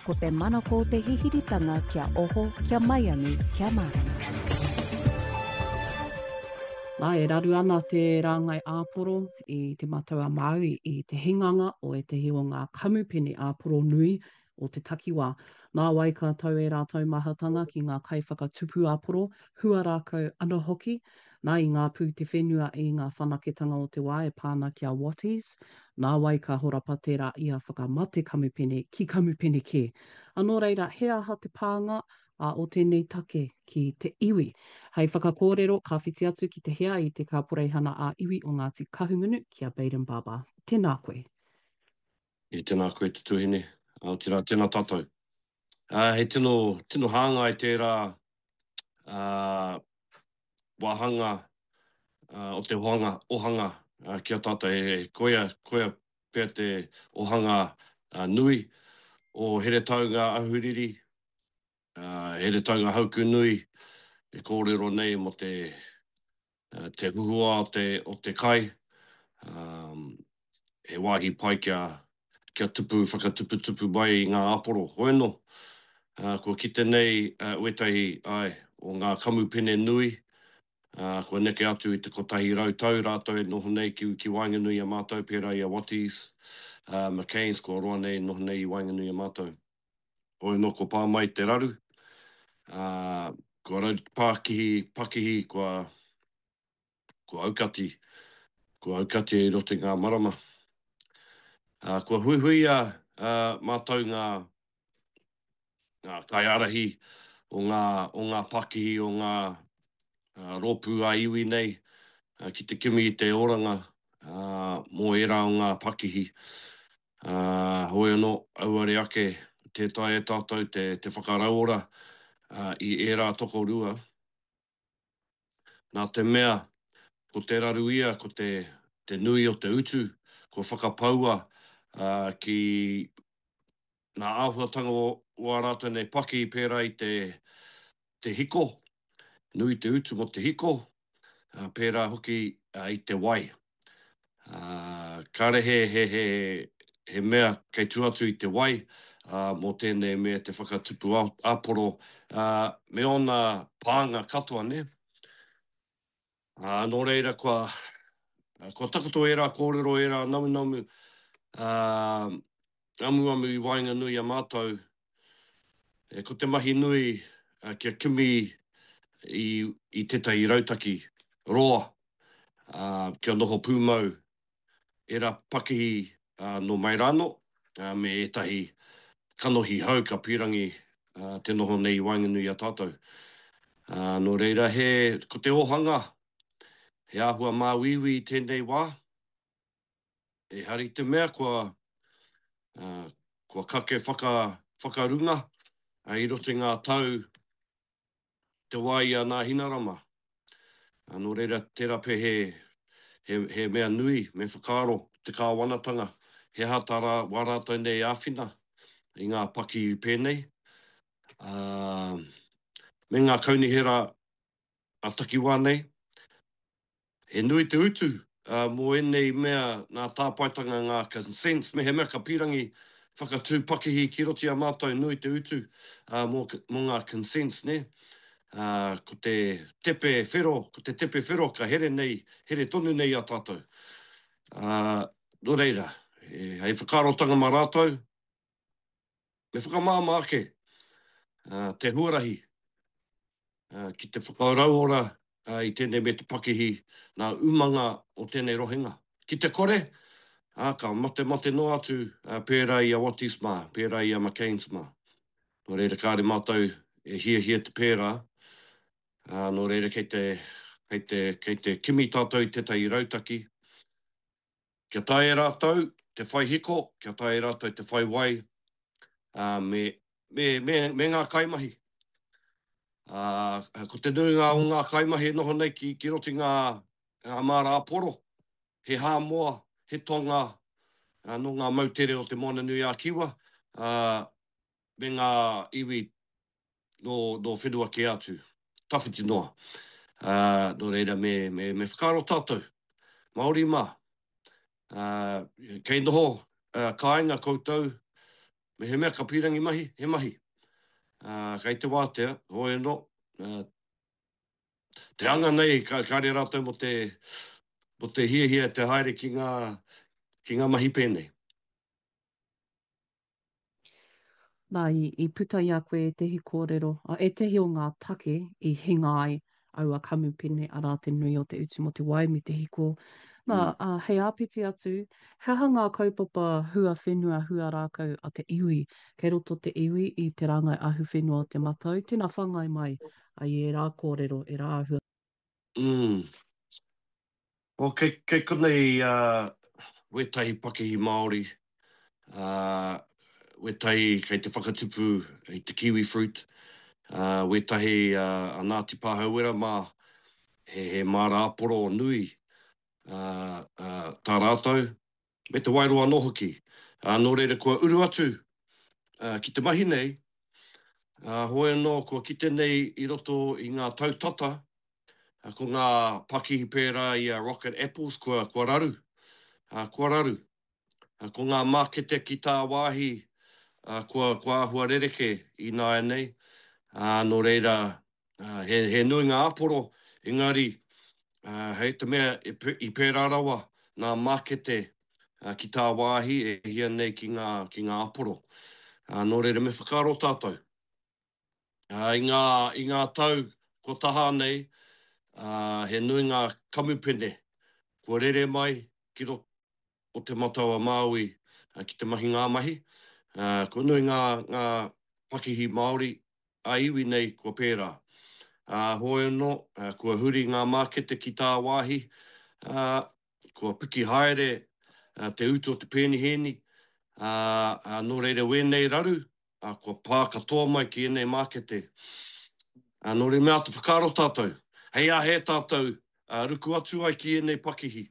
Ko te manako te hihiritanga kia oho, kia maiangi, kia mārama. Nā, e raru ana te rāngai āporo i Te Matau-a-Māui i te hinganga o ētahi o ngā kamupene āporo nui o te takiwā. Nāwai ka tau ērā taumahatanga ki ngā kaiwhakatupu āporo, hua rākau anō hoki, Nā, i ngā pū te whenua i ngā whanaketanga o te wā e pā ana ki a Watties, nāwai ka horapa tērā ia whakamate kamupene ki kamupene kē. A nō reira, he aha te pānga a o tēnei take ki te iwi? Hei whakakōrero, ka whiti atu ki te hea i te Kaporeihana ā-Iwi o Ngāti Kahungunu, ki a Bayden Barber. Tēnā koe. E tēnā koe te tuahine, otirā tēnā tātou. He tino, tino hāngai tērā wāhanga o te ohanga, ohanga ki a tātou. He, koia, koia pea te ohanga nui o Heretaunga Ahuriri, Heretaunga Haukunui e kōrero nei mō te te huhua o te, o te kai, he wāhi pai kia, kia tupu, whakatuputupu mai i ngā āporo. Hoeno, kua kite nei wētahi, āe, o ngā kamupene nui, kua neke atu i te 100 tau rātou e noho nei ki, ki waenganui i a mātou, pērā i a Watties, McCains, kua roa nei e noho nei i waenganui i a mātou. Hoi anō kua pā mai te raru, ā, kua raru te pākihi, pakihi, kua, kua aukati, kua aukati i roto i ngā marama. Ā, kua huihuia, ā, mātou ngā, ngā kaiārahi o ngā, o ngā pakihi, o ngā, rōpū ā-iwi nei ki te kimi i te oranga mō ērā o ngā pakihi. Hoi anō, auare ake tē taea e tātou te whakarauora i ērā tokorua, nā te mea ko te raru ia ko te nui o te utu kua whakapaua ki ngā āhuatanga o ā rātou nei pakihi pērā i te hiko, nui te utu mō te hiko, pērā hoki i te wai. Kāre he, he, he, he mea kei tua atu i te wai mō tēnei mea te whakatupu āporo me ōna pānga katoa, nē. Nō reira kua, kua takoto ērā kōrero, ērā namunamu, amuamu i waenganui i a mātou, ko te mahi nui kia kimi i, i tētahi rautaki roa kia noho pūmau ērā pakihi nō mai rānō me ētahi kanohi hou ka pīrangi te noho nei i waenganui i a tātou. Nō reira, he, ko te ōhanga, he āhua māuiui i tēnei wā, ehara i te mea kua, kua kake whaka, whakarunga i roto i ngā tau te wā i a Nāhinarama. Nō reira, tērā pea he, he, he mea nui me whakaaro te kāwanatanga, he aha tā rā, wā rātou nei āwhina i ngā pakihi pēnei, ā, me ngā kaunihera ā-takiwā nei. He nui te utu mō ēnei mea nā tāpaetanga ngā consents, mehemea ka pīrangi whakatū pakihi ki roto i a mātou nui te utu mō ngā consents nē. Ko te tepe whero, ko te tepe whero ka here nei, here tonu nei i a tātou. Nō reira, hei whakaarotanga mā rātou, Me whakamāmā ake te huarahi ki te whakarauora i tēnei me te pakihi nā umanga o tēnei rohenga. Ki te kore, ka matemate noa atu pērā i a Watties mā, pērā i a McCains mā. Nō reira kāre mātou e hiahia te pērā, nō reira kei te, kei te, kei te kimi tātou i tētahi rautaki Kia taea e rātou te whai hiko, kia taea e rātou te whai wai, ā, me, me, me, me ngā kaimahi. Ā, ko te nuinga o ngā kaimahi e noho nei ki, ki roto i ngā, ngā māra āporo, he Hāmoa, he Tonga, ā, nō ngā moutere o Te Moananui-a-Kiwa, ā, me ngā iwi nō, nō whenua kē atu, tawhiti noa. Ā, nō reira me, me, me whakaaro tātou, Māori mā, ā, kei noho kāinga koutou. Mehemea ka pīrangi mahi, he mahi. Ā, kei te wātea, hoi anō, ā, te anga nei ka, kāre rātou mō te, mō te hiahia te haere ki ngā, ki ngā mahi pēnei. Nā, i, i puta i a koe ētehi kōrero, ā, ētehi o ngā take i hinga ai aua kamupene, arā, te nui o te utu mō te wai me te hiko. Nā, Mm. ā, hei āpiti atu, he aha ngā kaupapa huawhenua, huarākau a te iwi? Kei roto te iwi i te rāngai ahuwhenua o Te Matau, tēnā whāngai mai i ērā kōrero, ērā āhua. Mm. Oh, kei, kei konei uh, wētahi pakihi Māori, uh, wētahi kei te whakatupu i te kiwi fruit, uh, wētahi uh, a Ngāti Pāhauwera mā, he, he māra āporo nui uh, uh, tā rātou, me te Wairoa anō hoki. Uh, nō reira kua uru atu uh, ki te mahi nei, uh, hoi anō kua kite nei i roto i ngā tau tata, Ko ngā pakihi pērā i a Rocket Apples kua, kua raru, kua raru. Ko ngā mākete ki tāwāhi kua, kua āhua rerekē ināianei, ā, nō reira, he, he nui ngā āporo, engari, hei te mea i pērā rawa ngā mākete ki tāwāhi e hia nei ki ngā, ki ngā āporo. Nō reira, me whakaaro tātou. I ngā, i ngā tau kua taha nei, he nui ngā kamupene kua rere mai ki roto o Te Matau-a-Māui ki te mahi ngā mahi. Kua nui ngā, ngā pakihi Māori ā-iwi nei kua pērā. Hoi anō, kua huri ngā mākete ki tāwāhi, ā, kua piki haere te utu o te pēnihēni, ā, nō reira wēnei raru, ā, kua pā katoa mai ki ēnei mākete. Ā, nō reira me āta whakaaro tātou, hei āhea tātou ruku atu ai ki ēnei pakihi.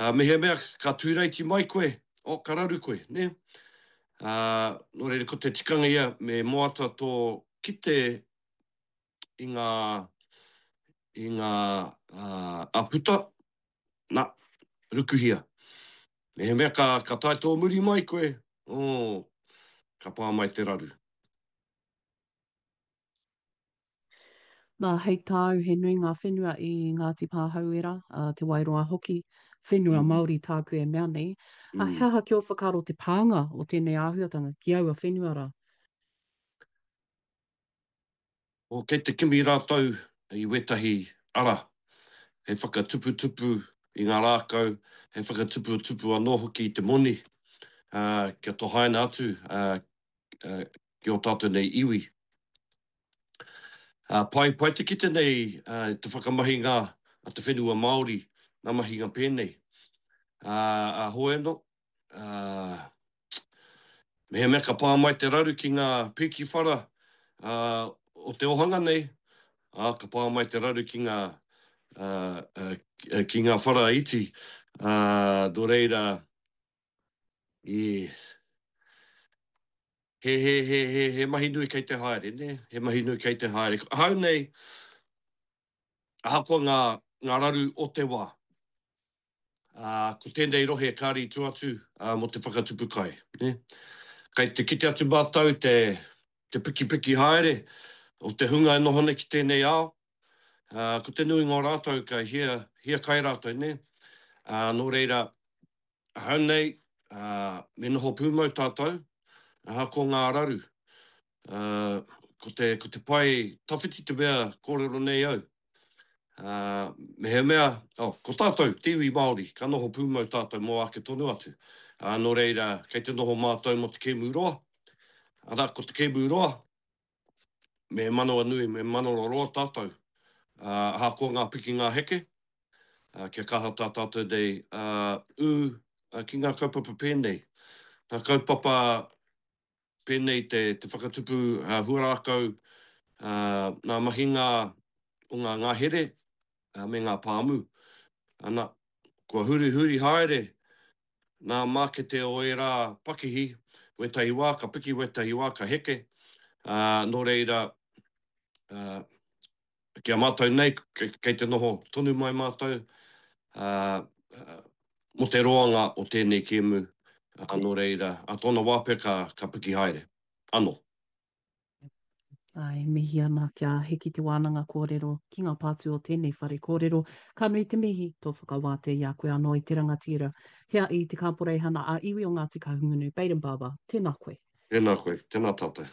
Ā, mehemea ka tūreiti mai koe, oh, ka raru koe, nē? Ā, nō reira ko te tikanga ia me moata tō kite i ngā, i ngā āputa, nā, rukuhia. Mehemea ka, ka tae tōmuri mai koe, oh, ka pā mai te raru. Nā, hei tāu, he nui ngā whenua i Ngāti Pāhauwera, a Te Wairoa hoki, whenua mm. Māori tāku e mea nei. Mm. A, he aha ki ō whakaaro te pānga o tēnei āhuatanga ki aua whenua rā? Kei te kimi rātou i wētahi ara hei whakatuputupu i ngā rākau, hei whakatuputupu anō hoki i te moni, kia tohaina atu ki ō tātou nei iwi. Pai, pai te kite nei te whakamahinga a te whenua Māori, ngā mahinga pēnei. Ā, hoi anō, Mehemea ka pā mai te raru ki ngā pīki whara o te ohanga nei, ā, ka pā mai te raru ki ngā, ki ngā whara iti, ā, nō reira, i, he, he, he, he, he mahi nui kei te haere, nē, he mahi nui kei te haere. Ahau nei, ahakoa ngā, ngā raru o te wā, Ā, ko tēnei rohe kāre i tua atu mō te whakatupu kai, nē. Kei te kite atu mātou te, te pikipiki haere o te hunga e noho nei ki tēnei ao, ā, ko te nuinga o rātou ka hia, hia kai rātou, nē. Ā, nō reira, ahau nei, ā, me noho pūmau tātou, ahakoa ngā raru. Ā, ko te, ko te pae tawhiti te mea kōrero nei au. Ā, mehemea, oh, ko tātou, te iwi Māori, ka noho pūmau tātou mō ake tonu atu. Ā, nō reira, kei te noho mātou mō te kēmu roa. Arā, ko te kēmu roa, me manawanui, me manawaroa tātou. Ā, ahakoa ngā piki ngā heke, ā, kia kaha tā tātou nei, ā, ū, ki ngā kaupapa pēnei. Ngā kaupapa pēnei te, te whakatupu huarākau, ngā mahinga o ngā ngahere me ngā pāmu. Ana, kua hurihuri haere ngā mākete o ērā pakihi, wētahi wā ka piki, wētahi wā ka heke, ā, nō reira, ā, ki a mātou nei, kei te noho tonu mai mātou, ā, mō te roanga o tēnei kēmu. Nō reira, a tōna wā pea ka, ka piki haere. Ano. Āe, mihi ana kia hiki te wānanga kōrero ki ngā pātū o tēnei whare kōrero. Ka nui te mihi, tō whakawātea i a koe anō i te rangatira. Hea i te Kāporeihana ā-Iwi o Ngāti Kahungunu, Bayden Barber, tēnā koe. Tēnā koe, tēnā tātou.